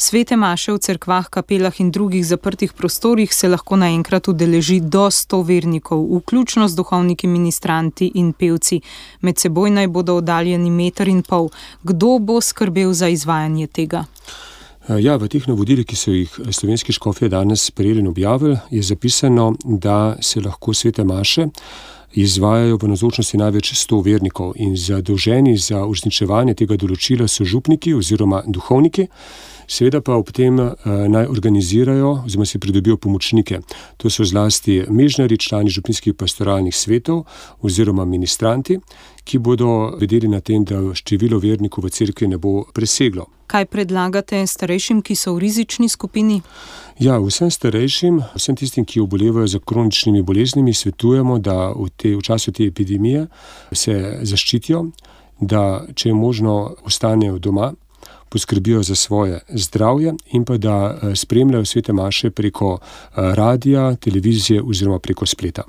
Svete maše v cerkvah, kapelah in drugih zaprtih prostorih se lahko naenkrat udeleži do 100 vernikov, vključno z duhovniki, ministranti in pevci. Med seboj naj bodo oddaljeni 1,5 metra. Kdo bo skrbel za izvajanje tega? Ja, v teh navodilih, ki so jih slovenski škofje danes sprejeli in objavili, je zapisano, da se lahko svete maše izvajajo v navzočnosti največ 100 vernikov in zadolženi za uresničevanje tega določila so župniki oziroma duhovniki, seveda pa ob tem naj organizirajo oziroma si pridobijo pomočnike. To so zlasti mežnarji, člani župnijskih pastoralnih svetov oziroma ministranti, ki bodo vedeli na tem, da število vernikov v cerkvi ne bo preseglo. Kaj predlagate starejšim, ki so v rizični skupini? Ja, vsem starejšim, vsem tistim, ki obolevajo za kroničnimi boleznimi, svetujemo, da v času te epidemije se zaščitijo, da če je možno ostanejo doma, poskrbijo za svoje zdravje in pa da spremljajo svete maše preko radija, televizije oziroma preko spleta.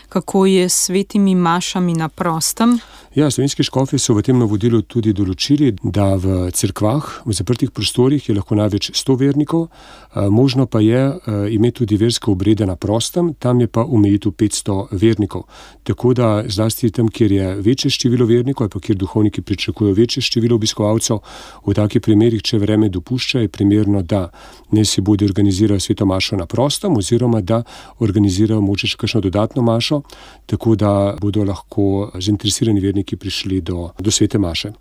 Kako je s svetimi mašami na prostem? Ja, slovenski škofje so v tem navodilu tudi določili, da v cerkvah, v zaprtih prostorih je lahko največ 100 vernikov, možno pa je imeti tudi verske obrede na prostem, tam je pa omejitev 500 vernikov. Tako da zlasti tam, kjer je večje število vernikov ali pa kjer duhovniki pričakujejo večje število obiskovalcev, v takih primerih, če vreme dopušča, je primerno, da ne si bodi organizirajo sveto mašo na prostem oziroma da organizirajo mogoče še kakšno dodatno mašo, tako da bodo lahko zainteresirani verniki prišli do svete maše.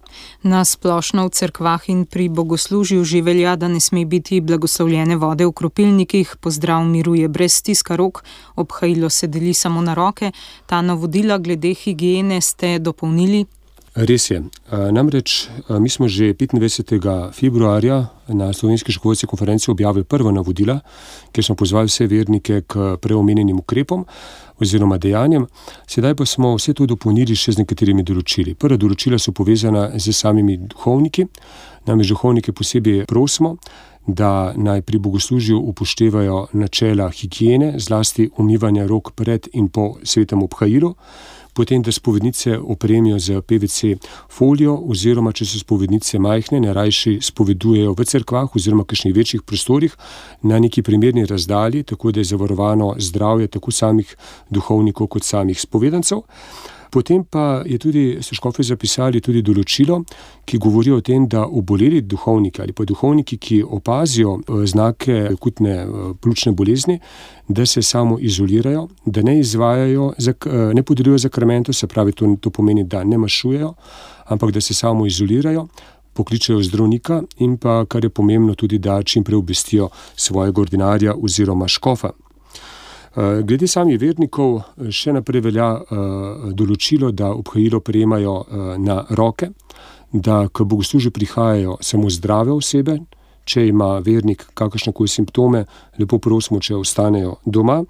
Na splošno v cerkvah in pri bogoslužju že velja, da ne sme biti blagoslovljene vode v kropilnikih, pozdrav miruje brez stiska rok, obhajilo se deli samo na roke. Ta navodila glede higiene ste dopolnili? Res je. Namreč mi smo že 25. februarja na Slovenski škofovski konferenci objavili prva navodila, kjer smo pozvali vse vernike k preomenjenim ukrepom oziroma dejanjem. Sedaj pa smo vse to dopolnili še z nekaterimi določili. Prva določila so povezana z samimi duhovniki. Namreč duhovnike posebej prosimo, da naj pri bogoslužju upoštevajo načela higiene, zlasti umivanja rok pred in po svetem obhajilu, potem, da spovednice opremijo z PVC folijo oziroma, če so spovednice majhne, najrajši spovedujejo v cerkvah oziroma kakšnih večjih prostorih na neki primerni razdalji, tako da je zavarovano zdravje tako samih duhovnikov kot samih spovedancev. Potem pa je tudi, so škofje zapisali tudi določilo, ki govori o tem, da oboleli duhovniki ali pa duhovniki, ki opazijo znake akutne pljučne bolezni, da se samo izolirajo, da ne izvajajo, ne podeljujejo zakramentov, se pravi, to pomeni, da ne mašujejo, ampak da se samo izolirajo, pokličejo zdravnika in pa, kar je pomembno, tudi da čim prej obvestijo svojega ordinarja oziroma škofa. Glede samih vernikov še naprej velja določilo, da obhajilo prejemajo na roke, da k bogoslužju prihajajo samo zdrave osebe, če ima vernik kakršnekoli simptome, lepo prosimo, če ostanejo doma.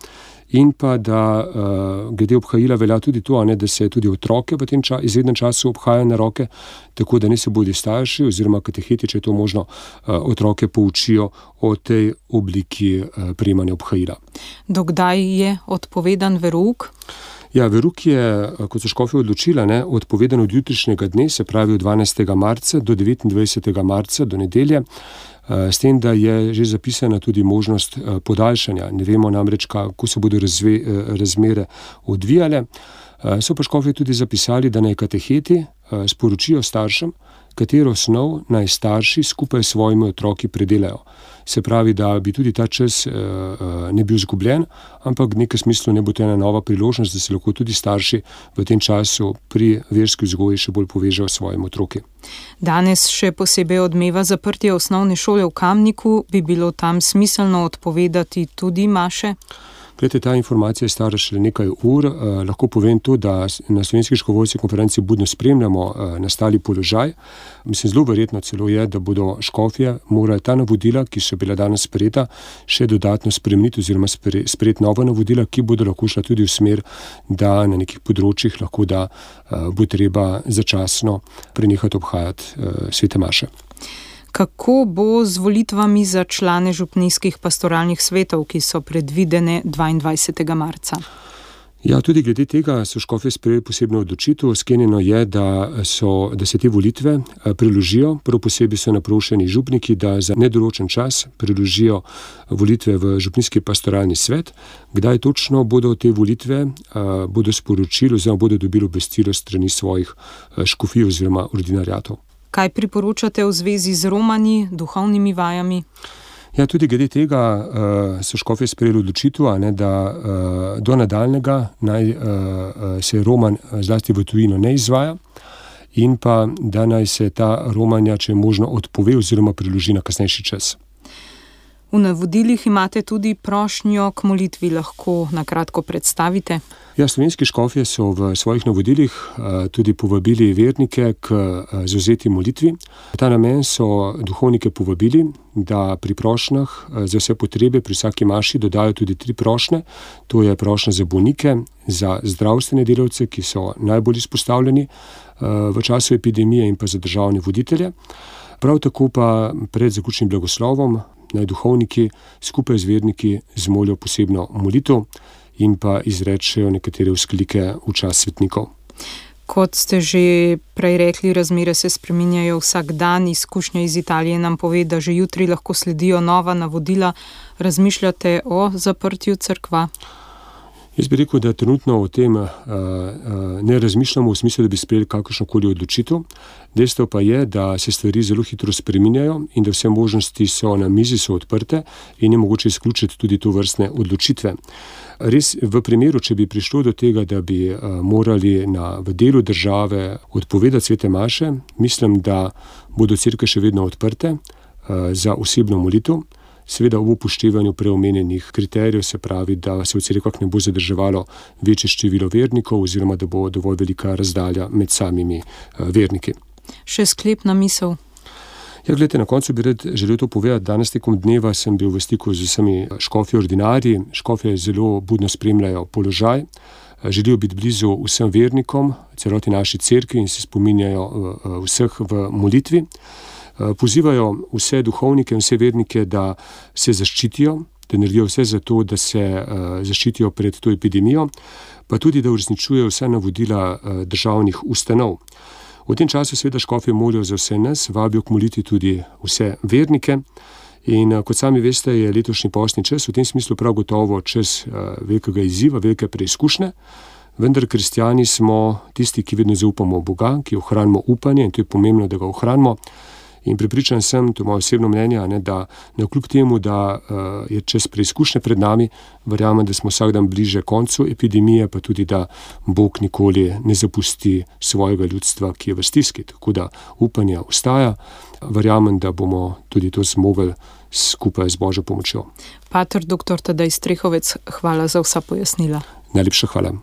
In pa, da glede obhajila velja tudi to, da se tudi otroke v tem izrednem času obhajajo na roke, tako da ne se bodi starši oziroma kateheti, če je to možno, otroke poučijo o tej obliki prejemanja obhajila. Do kdaj je odpovedan verouk? Ja, verouk je, kot so škofje odločila, odpovedan od jutrišnjega dne, se pravi od 12. marca do 29. marca, do nedelje, s tem, da je že zapisana tudi možnost podaljšanja. Ne vemo namreč, kako se bodo razmere odvijale. So pa škofje tudi zapisali, da naj kateheti sporočijo staršem, katero snov naj starši skupaj s svojimi otroki predelajo. Se pravi, da bi tudi ta čas ne bil izgubljen, ampak v nekem smislu ne bo to ena nova priložnost, da se lahko tudi starši v tem času pri verski vzgoji še bolj povežejo s svojimi otroki. Danes še posebej odmeva zaprtje osnovne šole v Kamniku. Bi bilo tam smiselno odpovedati tudi maše? Glede, ta informacija je stara šele nekaj ur. Lahko povem to, da na Slovenski škofovski konferenci budno spremljamo nastali položaj. Mislim, zelo verjetno celo je, da bodo škofje morali ta navodila, ki so bila danes sprejeta, še dodatno spremeniti oziroma sprejeti nova navodila, ki bodo lahko šla tudi v smer, da na nekih področjih lahko da bo treba začasno prenehati obhajati svete maše. Kako bo z volitvami za člane župnijskih pastoralnih svetov, ki so predvidene 22. marca? Ja, tudi glede tega so škofje sprejeli posebno odločitev. Sklenjeno je, da se te volitve preložijo. Prav posebej so naprošeni župniki, da za nedoločen čas preložijo volitve v župnijski pastoralni svet. Kdaj točno bodo te volitve, bodo sporočili oziroma bodo dobili obvestilo strani svojih škofij oziroma ordinariatov. Kaj priporočate v zvezi z romanji, duhovnimi vajami? Ja, tudi glede tega so škofje sprejeli odločitev, da do nadaljnjega naj se roman zlasti v tujino ne izvaja in pa da naj se ta romanja, če je možno, odpove oziroma preloži na kasnejši čas. V navodilih imate tudi prošnjo k molitvi, lahko na kratko predstavite? Ja, slovenski škofje so v svojih navodilih tudi povabili vernike k zavzeti molitvi. V ta namen so duhovnike povabili, da pri prošnjah za vse potrebe pri vsaki maši dodajo tudi 3 prošnje. To je prošnja za bolnike, za zdravstvene delavce, ki so najbolj izpostavljeni v času epidemije, in pa za državne voditelje. Prav tako pa pred zaključnim blagoslovom naj duhovniki skupaj z verniki zmolijo posebno molitev in pa izrečejo nekatere vzklike v čas svetnikov. Kot ste že prej rekli, razmere se spreminjajo vsak dan. Izkušnja iz Italije nam pove, da že jutri lahko sledijo nova navodila. Razmišljate o zaprtju cerkva? Jaz bi rekel, da trenutno o tem ne razmišljamo v smislu, da bi sprejeli kakršnokoli odločitev. Dejstvo pa je, da se stvari zelo hitro spreminjajo in da vse možnosti so na mizi, so odprte in je mogoče izključiti tudi to vrstne odločitve. Res, v primeru, če bi prišlo do tega, da bi morali v delu države odpovedati svete maše, mislim, da bodo cerkve še vedno odprte za osebno molitev. Seveda v upoštevanju preomenjenih kriterijev, se pravi, da se v cerkvah ne bo zadrževalo večje število vernikov oziroma da bo dovolj velika razdalja med samimi verniki. Še sklepna misel. Ja, gledajte, na koncu bi želel to povedati. Danes tekom dneva sem bil v stiku z vsemi škofji ordinarji. Škofje zelo budno spremljajo položaj, želijo biti blizu vsem vernikom, celoti naši cerkvi in se spominjajo vseh v molitvi. Pozivajo vse duhovnike in vse vernike, da se zaščitijo, da naredijo vse za to, da se zaščitijo pred to epidemijo, pa tudi, da uresničujejo vsa navodila državnih ustanov. V tem času seveda škofje molijo za vse nas, vabijo k molitvi tudi vse vernike in kot sami veste, je letošnji postni čas v tem smislu prav gotovo čas velikega izziva, velike preizkušnje. Vendar kristjani smo tisti, ki vedno zaupamo v Boga, ki ohranimo upanje in to je pomembno, da ga ohranimo. In prepričan sem, to je moje osebno mnenje, da navkljub temu, da je čas preizkušnje pred nami, verjamem, da smo vsak dan bliže koncu epidemije, pa tudi, da Bog nikoli ne zapusti svojega ljudstva, ki je v stiski. Tako da upanje ostaja. Verjamem, da bomo tudi to zmogli skupaj z Božjo pomočjo. Pater dr. Tadej Strehovec, hvala za vsa pojasnila. Najlepša hvala.